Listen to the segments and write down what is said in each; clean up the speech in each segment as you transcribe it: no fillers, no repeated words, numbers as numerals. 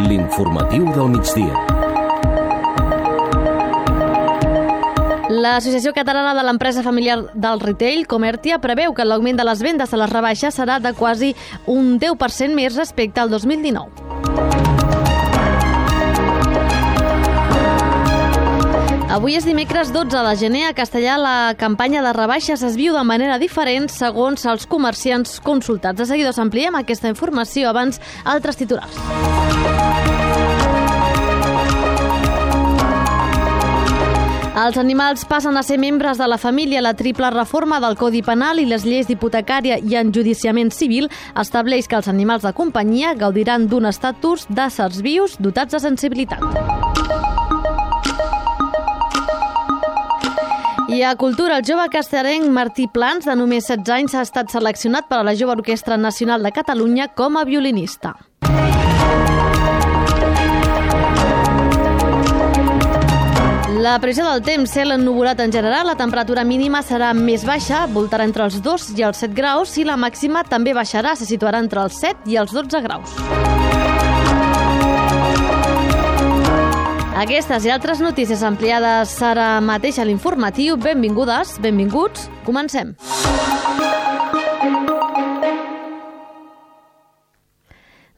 L'informatiu del migdia. L'Associació Catalana de l'Empresa Familiar del Retail, Comertia, preveu que l'augment de les vendes a les rebaixes serà de quasi un 10% més respecte al 2019. Avui és dimecres 12 de gener. A Castellà la campanya de rebaixes es viu de manera diferent segons els comerciants consultats. De seguida us ampliem aquesta informació, abans altres titulars. Els animals passen a ser membres de la família. La triple reforma del Codi Penal i les lleis d'hipotecària i enjudiciament civil estableix que els animals de companyia gaudiran d'un estatus d'éssers vius dotats de sensibilitat. I a Cultura, el jove castellenc Martí Plans, de només 16 anys, ha estat seleccionat per a la Jove Orquestra Nacional de Catalunya com a violinista. La previsió del temps, cel ennuvolat en general, la temperatura mínima serà més baixa, voltarà entre els 2 i els 7 graus, i la màxima també baixarà, se situarà entre els 7 i els 12 graus. Aquestes i altres notícies ampliades ara mateix a l'informatiu. Benvingudes, benvinguts, comencem.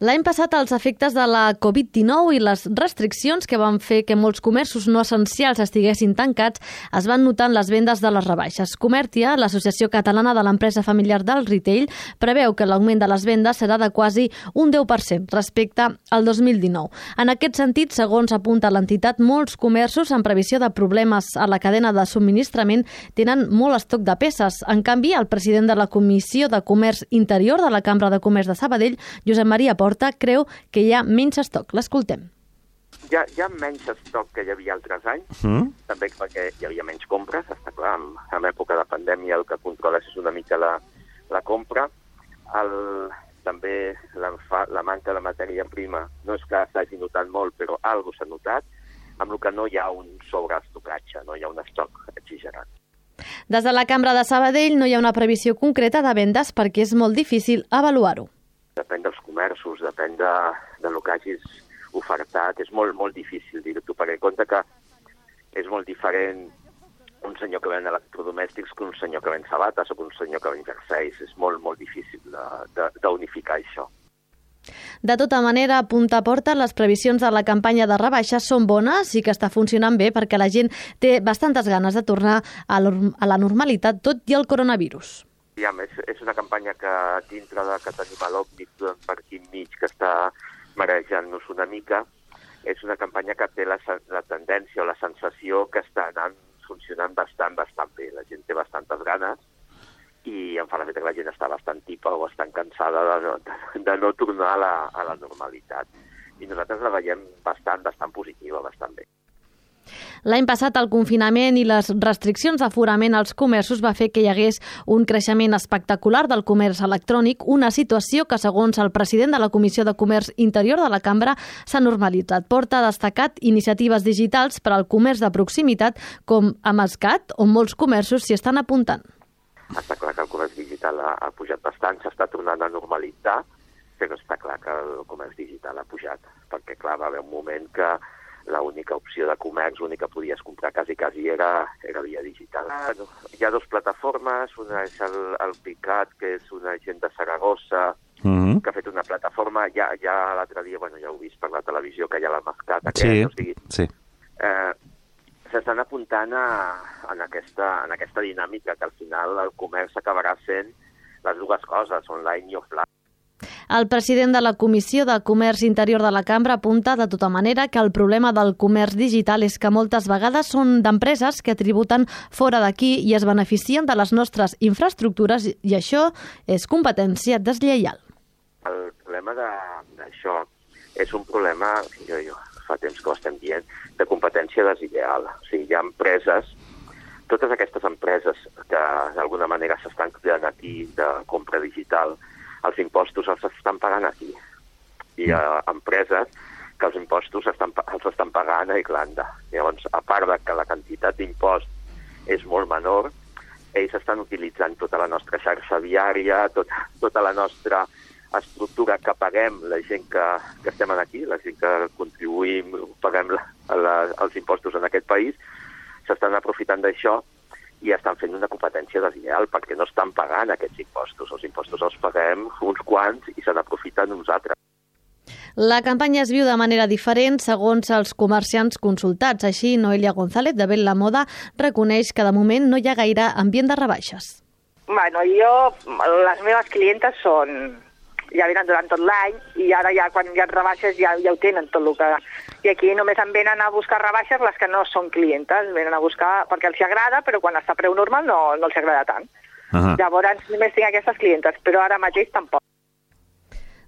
L'any passat, els efectes de la Covid-19 i les restriccions que van fer que molts comerços no essencials estiguessin tancats es van notar en les vendes de les rebaixes. Comertia, l'Associació Catalana de l'Empresa Familiar del Retail, preveu que l'augment de les vendes serà de quasi un 10% respecte al 2019. En aquest sentit, segons apunta l'entitat, molts comerços, en previsió de problemes a la cadena de subministrament, tenen molt estoc de peces. En canvi, el president de la Comissió de Comerç Interior de la Cambra de Comerç de Sabadell, Josep Maria Porta, creu que hi ha menys estoc. L'escoltem. Hi ha menys estoc que hi havia altres anys, també perquè hi havia menys compres, està clar, en època de pandèmia el que controles és una mica la compra. També la manca de matèria prima no és que s'hagi notat molt, però alguna s'ha notat, amb el que no hi ha un sobreestocatge, no hi ha un estoc exagerat. Des de la Cambra de Sabadell no hi ha una previsió concreta de vendes perquè és molt difícil avaluar-ho. Depèn dels comerços, depèn de lo que hagis ofertat. És molt, molt difícil dir-ho, perquè compte que és molt diferent un senyor que ven electrodomèstics que un senyor que ven sabates o que un senyor que ven jerseis. És molt, molt difícil d'unificar això. De tota manera, apunta Porta, les previsions de la campanya de rebaixes són bones i que està funcionant bé perquè la gent té bastantes ganes de tornar a la normalitat, tot i el coronavirus. És una campanya que dintre que tenim a l'Òmnic per aquí enmig que està marejant-nos una mica, és una campanya que té la tendència o la sensació que està anant funcionant bastant bé. La gent té bastantes ganes i em fa l'efecte que la gent està bastant tipa o bastant cansada de no tornar a la normalitat. I nosaltres la veiem bastant positiva, bastant bé. L'any passat, el confinament i les restriccions d'aforament als comerços va fer que hi hagués un creixement espectacular del comerç electrònic, una situació que, segons el president de la Comissió de Comerç Interior de la Cambra, s'ha normalitzat. Porta ha destacat iniciatives digitals per al comerç de proximitat, com a Mascat, on molts comerços s'hi estan apuntant. Està clar que el comerç digital ha pujat bastant, s'està tornant a normalitzar, però està clar que el comerç digital ha pujat, perquè clar, va haver un moment que l'única opció de comerç, l'únic que podies comprar quasi era via digital. Hi ha dues plataformes, una és el Picat, que és una gent de Saragossa, que ha fet una plataforma, ja l'altre dia, ja ho he vist per la televisió, que hi ha la Mascat, sí. S'estan apuntant en aquesta dinàmica, que al final el comerç acabarà sent les dues coses, online i offline. El president de la Comissió de Comerç Interior de la Cambra apunta de tota manera que el problema del comerç digital és que moltes vegades són d'empreses que tributen fora d'aquí i es beneficien de les nostres infraestructures i això és competència deslleial. El problema d'això és un problema, jo fa temps que ho estem dient, de competència deslleial. O sigui, hi ha empreses, totes aquestes empreses que d'alguna manera s'estan creant aquí de compra digital, els impostos els estan pagant aquí. Hi ha empreses que els impostos els estan pagant a Irlanda. Llavors, a part de que la quantitat d'impost és molt menor, ells estan utilitzant tota la nostra xarxa viària, tota la nostra estructura que paguem la gent que estem aquí, la gent que contribuïm, paguem els impostos en aquest país, s'estan aprofitant d'això i estan fent una competència deslleial perquè no estan pagant aquests impostos. Els impostos els paguem uns quants i se n'aprofiten uns altres. La campanya es viu de manera diferent segons els comerciants consultats. Així, Noelia González, de Bell la Moda, reconeix que de moment no hi ha gaire ambient de rebaixes. Bueno, les meves clientes ja venen durant tot l'any i ara ja quan hi ha rebaixes ja ho tenen tot el que... I aquí només em venen a buscar rebaixes les que no són clientes, venen a buscar perquè els agrada, però quan està a preu normal no els agrada tant. Llavors només tinc aquestes clientes, però ara mateix tampoc.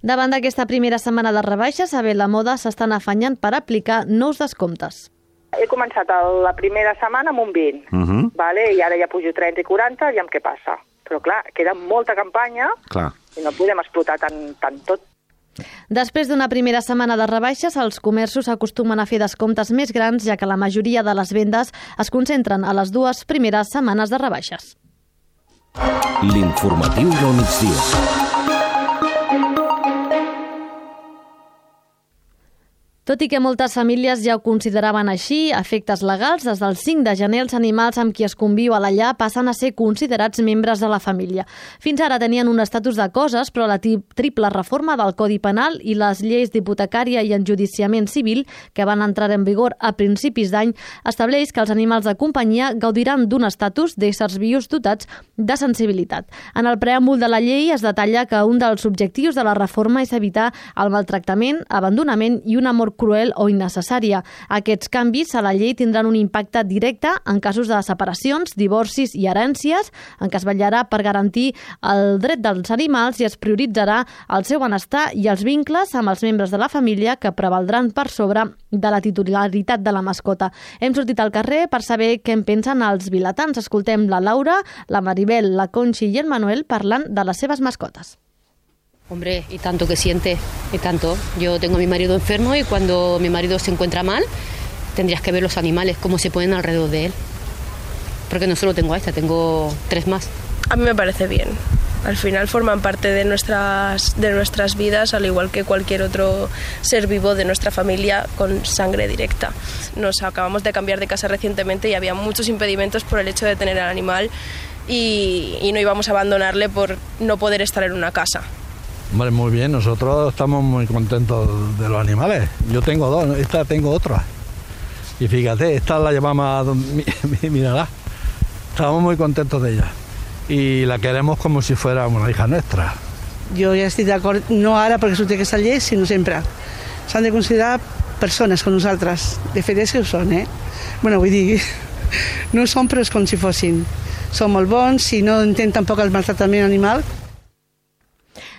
Davant d'aquesta primera setmana de rebaixes, a Bell la Moda s'estan afanyant per aplicar nous descomptes. He començat la primera setmana amb un 20, vale? I ara ja pujo 30 i 40, i què passa? Però clar, queda molta campanya i no podem explotar tant tot. Després d'una primera setmana de rebaixes, els comerços acostumen a fer descomptes més grans, ja que la majoria de les vendes es concentren a les 2 primeres setmanes de rebaixes. L'informatiu del migdia. Tot i que moltes famílies ja ho consideraven així, a efectes legals, des del 5 de gener els animals amb qui es conviu a la llar passen a ser considerats membres de la família. Fins ara tenien un estatus de coses, però la triple reforma del Codi Penal i les lleis d'hipotecària i enjudiciament civil, que van entrar en vigor a principis d'any, estableix que els animals de companyia gaudiran d'un estatus d'éssers vius dotats de sensibilitat. En el preàmbul de la llei es detalla que un dels objectius de la reforma és evitar el maltractament, abandonament i una mort cruel o innecessària. Aquests canvis a la llei tindran un impacte directe en casos de separacions, divorcis i herències, en què es vetllarà per garantir el dret dels animals i es prioritzarà el seu benestar i els vincles amb els membres de la família que prevaldran per sobre de la titularitat de la mascota. Hem sortit al carrer per saber què en pensen els vilatans. Escoltem la Laura, la Maribel, la Conxi i el Manuel parlant de les seves mascotes. Hombre, y tanto que siente, y tanto. Yo tengo a mi marido enfermo y cuando mi marido se encuentra mal, tendrías que ver los animales, cómo se ponen alrededor de él. Porque no solo tengo a esta, tengo 3 más. A mí me parece bien. Al final forman parte de nuestras vidas, al igual que cualquier otro ser vivo de nuestra familia con sangre directa. Nos acabamos de cambiar de casa recientemente y había muchos impedimentos por el hecho de tener al animal y no íbamos a abandonarle por no poder estar en una casa. Hombre, muy bien, nosotros estamos muy contentos de los animales. Yo tengo 2, esta tengo otra. Y fíjate, esta la llevamos mírala. Estamos muy contentos de ella. Y la queremos como si fuera una hija nuestra. Jo ja estic d'acord, no ara perquè s'ho té aquesta llei, sinó sempre. S'han de considerar persones com nosaltres. De fet és que ho són, Bueno, vull dir, no ho són però és com si fossin. Són molt bons i no intenten tampoc el maltractament animal.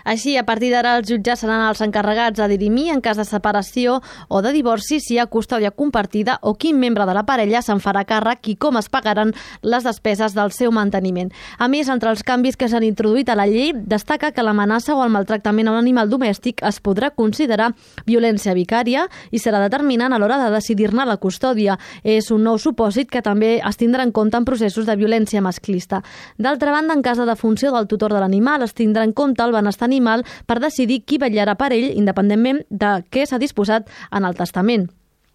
Així, a partir d'ara, els jutges seran els encarregats de dirimir en cas de separació o de divorci si hi ha custòdia compartida o quin membre de la parella se'n farà càrrec i com es pagaran les despeses del seu manteniment. A més, entre els canvis que s'han introduït a la llei, destaca que l'amenaça o el maltractament a un animal domèstic es podrà considerar violència vicària i serà determinant a l'hora de decidir-ne la custòdia. És un nou supòsit que també es tindrà en compte en processos de violència masclista. D'altra banda, en cas de defunció del tutor de l'animal, es tindrà en compte el benestar animal per decidir qui vetllarà per ell independentment de què s'ha disposat en el testament.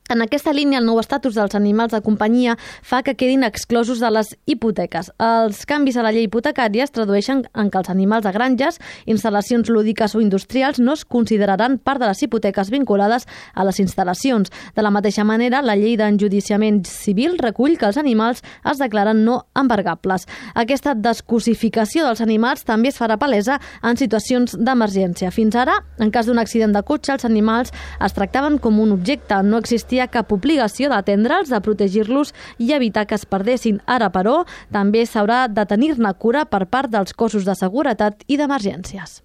En aquesta línia, el nou estatus dels animals de companyia fa que quedin exclosos de les hipoteques. Els canvis a la llei hipotecària es tradueixen en que els animals de granges, instal·lacions lúdiques o industrials no es consideraran part de les hipoteques vinculades a les instal·lacions. De la mateixa manera, la llei d'enjudiciament civil recull que els animals es declaren no embargables. Aquesta descosificació dels animals també es farà palesa en situacions d'emergència. Fins ara, en cas d'un accident de cotxe, els animals es tractaven com un objecte, no existia cap obligació d'atendre'ls, de protegir-los i evitar que es perdessin. Ara, però, també s'haurà de tenir-ne cura per part dels cossos de seguretat i d'emergències.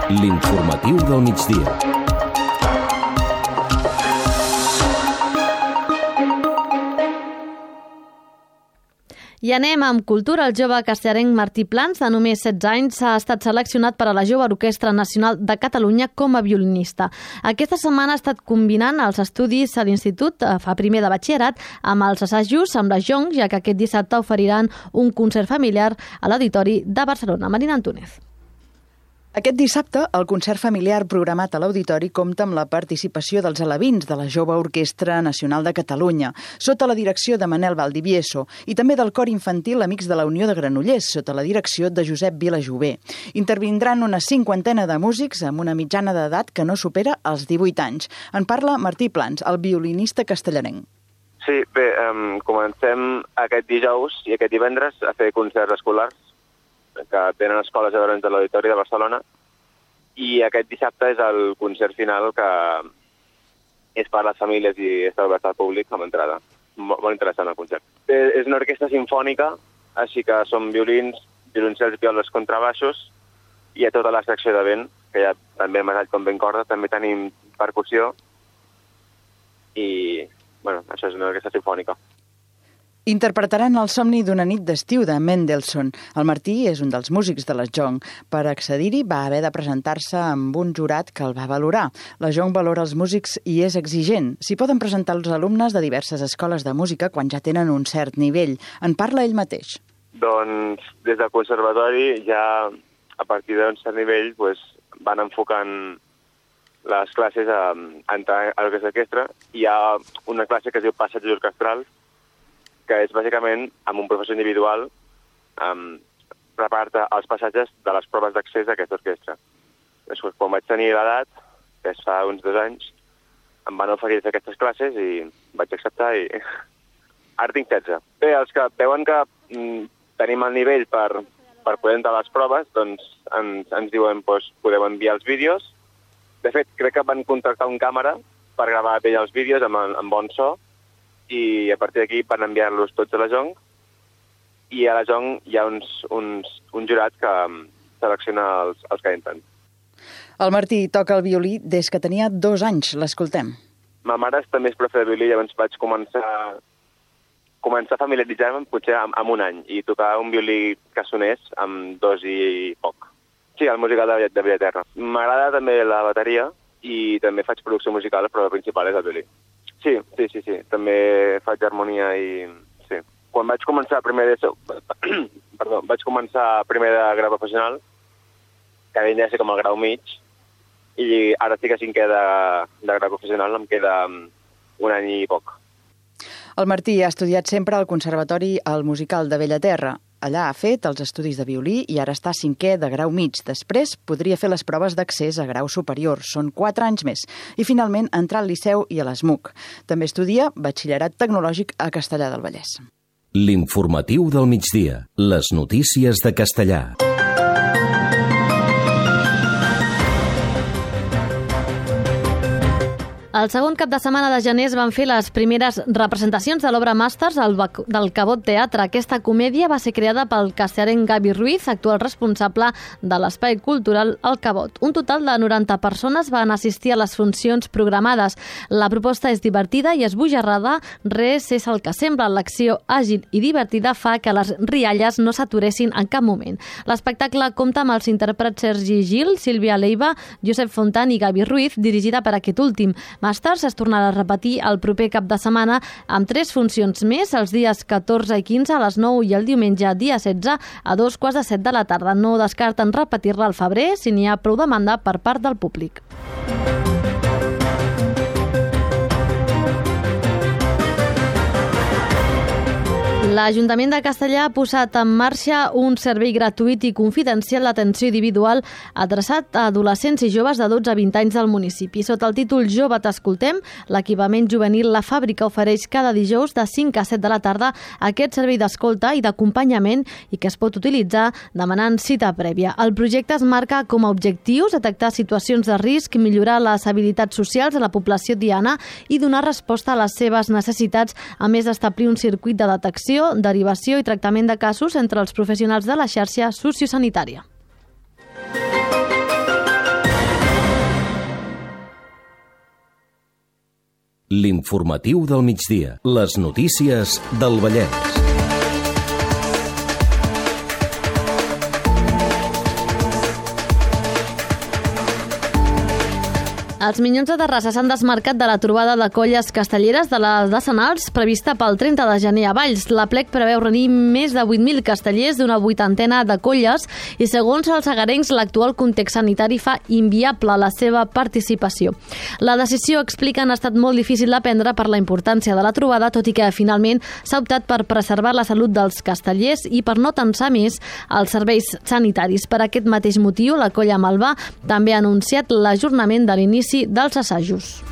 L'informatiu del migdia. I anem amb cultura. El jove castellarenc Martí Plans, de només 16 anys, ha estat seleccionat per a la Jove Orquestra Nacional de Catalunya com a violinista. Aquesta setmana ha estat combinant els estudis a l'institut, fa primer de batxillerat, amb els assajos amb la Jonc, ja que aquest dissabte oferiran un concert familiar a l'Auditori de Barcelona. Marina Antúnez. Aquest dissabte, el concert familiar programat a l'Auditori compta amb la participació dels alevins de la Jove Orquestra Nacional de Catalunya, sota la direcció de Manel Valdivieso, i també del cor infantil Amics de la Unió de Granollers, sota la direcció de Josep Vilajové. Intervindran una 50 de músics amb una mitjana d'edat que no supera els 18 anys. En parla Martí Plans, el violinista castellarenc. Sí, bé, comencem aquest dijous i aquest divendres a fer concerts escolars que tenen escoles a de l'Auditori de Barcelona, i aquest dissabte és el concert final que és per a les famílies i està obert al públic amb entrada. Molt interessant el concert. És una orquestra simfònica, així que són violins, violoncels, violes, contrabaixos, i hi ha tota la secció de vent, que hi ha també metall com vent corda, també tenim percussió, i això és una orquestra simfònica. Interpretaran el somni d'una nit d'estiu de Mendelssohn. El Martí és un dels músics de la Jong. Per accedir-hi va haver de presentar-se amb un jurat que el va valorar. La Jong valora els músics i és exigent. S'hi poden presentar els alumnes de diverses escoles de música quan ja tenen un cert nivell. En parla ell mateix. Doncs des del conservatori ja a partir d'un cert nivell van enfocant les classes a entrar a l'orquestra. Hi ha una classe que es diu Passatges Orquestrals, que és bàsicament amb un professor individual prepara els passatges de les proves d'accés a aquesta orquestra. Quan vaig tenir l'edat, que és fa uns 2 anys, em van oferir aquestes classes i vaig acceptar i ara tinc 16. Bé, els que veuen que tenim el nivell per poder entrar a les proves, doncs ens diuen podeu enviar els vídeos. De fet, crec que van contractar un càmera per gravar bé els vídeos amb bon so, i a partir d'aquí van enviar-los tots a la Jong, i a la Jong hi ha un jurat que selecciona els que entren. El Martí toca el violí des que tenia 2 anys. L'escoltem. Ma mare també és profe de violí, llavors vaig començar a familiaritzar-me potser amb 1 any i tocar un violí que sonés amb 2 i poc. Sí, el musical de Villaterra. M'agrada també la bateria i també faig producció musical, però el principal és el violí. Sí. També faig harmonia i... sí. Quan vaig començar primer de grau professional, que havia de ser com el grau mig, i ara estic a 5è de grau professional, em queda 1 any i poc. El Martí ha estudiat sempre al Conservatori al Musical de Bellaterra. Allà ha fet els estudis de violí i ara està a 5è de grau mig. Després podria fer les proves d'accés a grau superior. Són 4 anys més. I finalment entrar al Liceu i a l'ESMUC. També estudia batxillerat tecnològic a Castellar del Vallès. L'informatiu del migdia. Les notícies de Castellar. El segon cap de setmana de gener es van fer les primeres representacions de l'obra Màsters del Cabot Teatre. Aquesta comèdia va ser creada pel castellarenc Gavi Ruiz, actual responsable de l'Espai Cultural El Cabot. Un total de 90 persones van assistir a les funcions programades. La proposta és divertida i esbojarrada, res és el que sembla. L'acció àgil i divertida fa que les rialles no s'aturessin en cap moment. L'espectacle compta amb els intèrprets Sergi Gil, Sílvia Leiva, Josep Fontan i Gavi Ruiz, dirigida per aquest últim. Màsters es tornarà a repetir el proper cap de setmana amb 3 funcions més, els dies 14 i 15 a les 9 i el diumenge dia 16 a 2:15 de la tarda. No descarten repetir-la al febrer si n'hi ha prou demanda per part del públic. L'Ajuntament de Castellar ha posat en marxa un servei gratuït i confidencial d'atenció individual adreçat a adolescents i joves de 12 a 20 anys del municipi. Sota el títol Jove t'escoltem, l'equipament juvenil La Fàbrica ofereix cada dijous de 5 a 7 de la tarda aquest servei d'escolta i d'acompanyament i que es pot utilitzar demanant cita prèvia. El projecte es marca com a objectius detectar situacions de risc, millorar les habilitats socials de la població diana i donar resposta a les seves necessitats, a més d'establir un circuit de detecció, derivació i tractament de casos entre els professionals de la xarxa sociosanitària. L'informatiu del migdia. Les notícies del Vallès. Els Minyons de Terrassa s'han desmarcat de la trobada de colles castelleres de les decenals prevista pel 30 de gener a Valls. La plec preveu reunir més de 8.000 castellers d'una 80ena de colles i, segons els agarencs, l'actual context sanitari fa inviable la seva participació. La decisió, expliquen, ha estat molt difícil de prendre per la importància de la trobada, tot i que finalment s'ha optat per preservar la salut dels castellers i per no tensar més els serveis sanitaris. Per aquest mateix motiu, la colla Malvà també ha anunciat l'ajornament de l'inici dels assajos.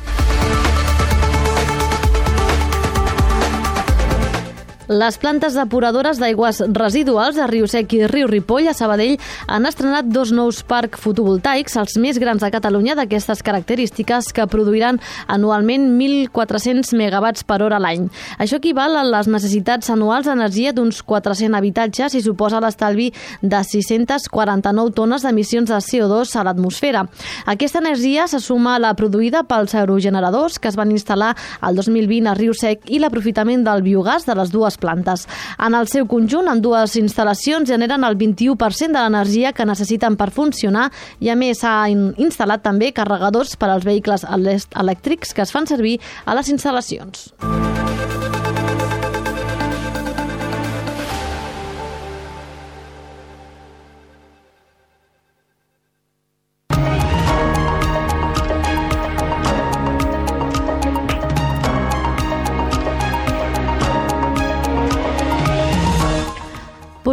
Les plantes depuradores d'aigües residuals a Riu Sec i Riu Ripoll, a Sabadell, han estrenat 2 nous parcs fotovoltaics, els més grans de Catalunya, d'aquestes característiques, que produiran anualment 1.400 megawatts per hora a l'any. Això equival a les necessitats anuals d'energia d'uns 400 habitatges i suposa l'estalvi de 649 tones d'emissions de CO2 a l'atmosfera. Aquesta energia se suma a la produïda pels aerogeneradors que es van instal·lar el 2020 a Riu Sec i l'aprofitament del biogàs de les dues plantes. En el seu conjunt, ambdues instal·lacions generen el 21% de l'energia que necessiten per funcionar i, a més, s'ha instal·lat també carregadors per als vehicles elèctrics que es fan servir a les instal·lacions.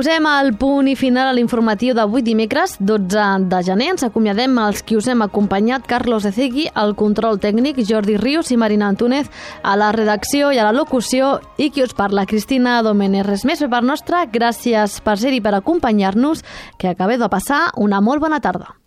Posem el punt i final a l'informatiu d'avui dimecres, 12 de gener. Ens acomiadem els qui us hem acompanyat: Carlos Ezegui, al control tècnic, Jordi Rius i Marina Antúnez a la redacció i a la locució, i qui us parla, Cristina Domènech. Res més per part nostra, gràcies per ser-hi, per acompanyar-nos, que acabeu de passar una molt bona tarda.